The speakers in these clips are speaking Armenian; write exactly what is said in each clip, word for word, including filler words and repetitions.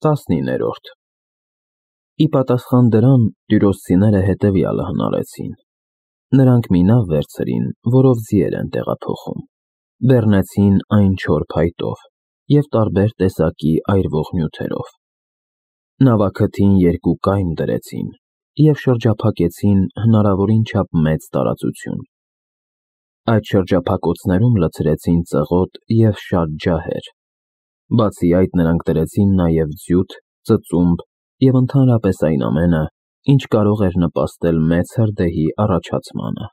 տասնիններորդ Ի պատասխան դրան տյուրոսցիները հետևյալը հնարեցին. նրանք մի նավ վերցրին, որով ձիեր են տեղափոխում, բեռնեցին այն չոր փայտով և տարբեր տեսակի այրվող նյութերով, նավաքթին երկու կայմ դրեցին և շրջափակեցին հնարավորին չափ մեծ տարածություն, այդ շրջափակոցներում լցրեցին ծղոտ և շատ ջահեր, բացի այդ նրանք դրեցին նաև ձյութ, ծծումբ և ընդհանրապես այն ամենը, ինչ կարող էր նպաստել մեծ հրդեհի առաջացմանը,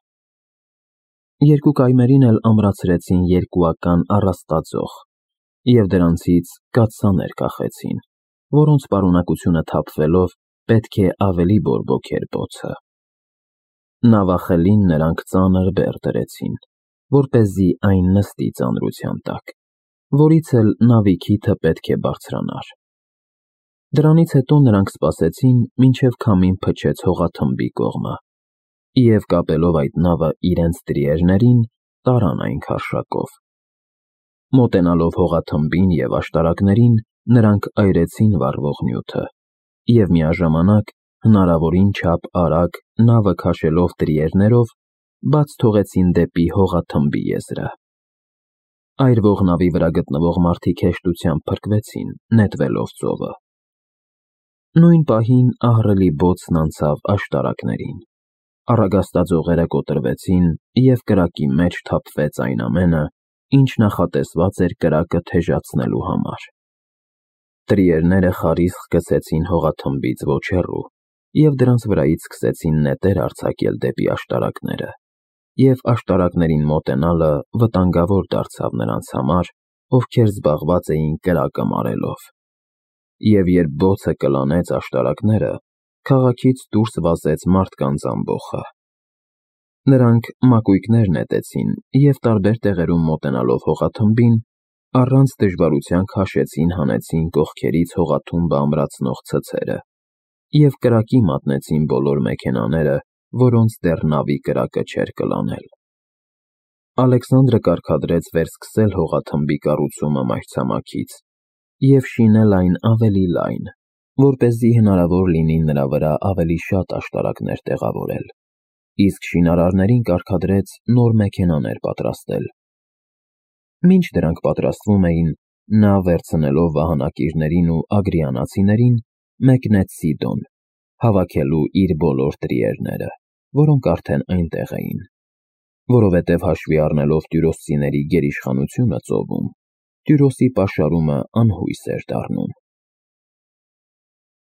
երկու կայմերին էլ ամրացրեցին երկուական առաստածող և դրանցից կաթսաներ կախեցին, որոնց պարունակությունը թափվելով պետք է ավելի բորբոքեր բոցը, նավախլին նրանք ծանր բեռ դրեցին, որպեսզի այն նստի ծանրության տակ, որից էլ նավի քիթը պետք է բարձրանար, դրանից հետո նրանք սպասեցին, մինչև քամին փչեց հողաթմբի կողմը և կապելով այդ նավը իրենց տրիերներին, տարան այն քարշակով, մոտենալով հողաթմբին և աշտարակներին, նրանք այրեցին վառվող նյութը և միաժամանակ հնարավորին չափ արագ նավը քաշելով տրիերներով, բաց թողեցին դեպի հողաթմբի եզրը, այրվող նավի վրա գտնվող մարդիկ հեշտությամբ փրկվեցին, նետվելով ծովը, նույն պահին ահռելի բոցն անցավ աշտարակներին, առագաստաձողերը կոտրվեցին և կրակի մեջ թափվեց այն ամենը, ինչ նախատեսված էր կրակը թեժացնելու համար, տրիերները խարիսխ գցեցին հողաթմբից ոչ հեռու և դրանց վրայից սկսեցին նետեր արձակել դեպի աշտարակները և աշտարակներին մոտենալը վտանգավոր դարձավ նրանց համար, ովքեր զբաղված էին կրակը մարելով, և երբ բոցը կլանեց աշտարակները, քաղաքից դուրս վազեց մարդկանց ամբոխը, նրանք մակույկներ նետեցին և տարբեր տեղերում մոտենալով հողաթմբին, առանց դժվարության քաշեցին հանեցին կողքերից հողաթումբը ամրացնող ցցերը և կրակի մատնեցին բոլոր մեքենաները, որոնց դեռ նավի կրակը չէր կլանել, Ալեքսանդրը կարգադրեց վերսկսել հողաթմբի կառուցումը մայրցամաքից և շինել այն ավելի լայն, որպեսզի հնարավոր լինի նրա վրա ավելի շատ աշտարակներ տեղավորել, իսկ շինարարներին կարգադրեց նոր մեքենաներ պատրաստել, մինչ դրանք պատրաստվում էին, նա վերցնելով վահանակիրներին ու ագրիանացիներին, մեկնեց Սիդոն, հավաքելու իր բոլոր տրիերները, որոնք արդեն այնտեղ էին, որովհետև հաշվի առնելով տյուրոսցիների գերիշխանությունը ծովում, Տյուրոսի պաշարումը անհույս էր դառնում,